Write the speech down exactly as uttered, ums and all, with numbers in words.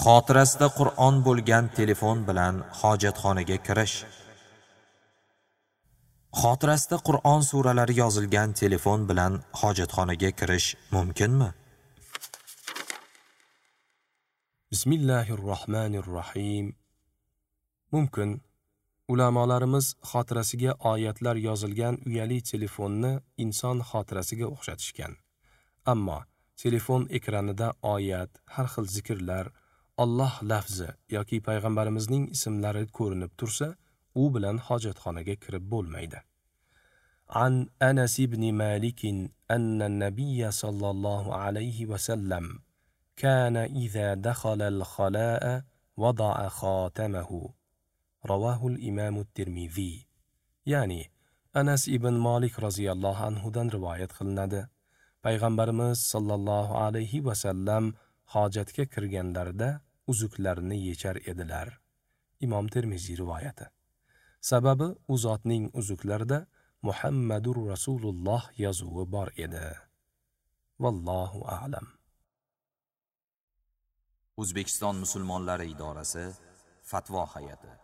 Xotirasida Qur'on bo'lgan telefon bilan hojatxonaga kirish. Xotirasida Qur'on suralari yozilgan telefon bilan hojatxonaga kirish mumkinmi? Bismillahirrohmanirrohim. Mumkin. Ulamolarimiz xotirasiga oyatlar yozilgan uyali telefonni inson xotirasiga o'xshatishgan. Ammo telefon ekranida oyat, har xil zikrlar, Alloh lafzi yoki payg'ambarimizning ismlari ko'rinib tursa, u bilan hojatxonaga kirib bo'lmaydi. An Anas ibn Malik anna an-nabiy sallallohu alayhi va sallam kana iza dakhala al-khala'a wada'a khatamahu. Rawahu al-Imam at-Tirmidhi. Ya'ni Anas ibn Malik roziyallohu anhu dan rivoyat qilinadi. Payg'ambarimiz sallallohu alayhi va sallam hojatga kirganlarida uzuklarini yechar edilar. Imom Termiziy rivoyati. Sababi u zotning uzuklarida Muhammadur Rasululloh yozuvi bor edi. Vallohu a'lam. O'zbekiston musulmonlari idorasi Fatvo hay'ati.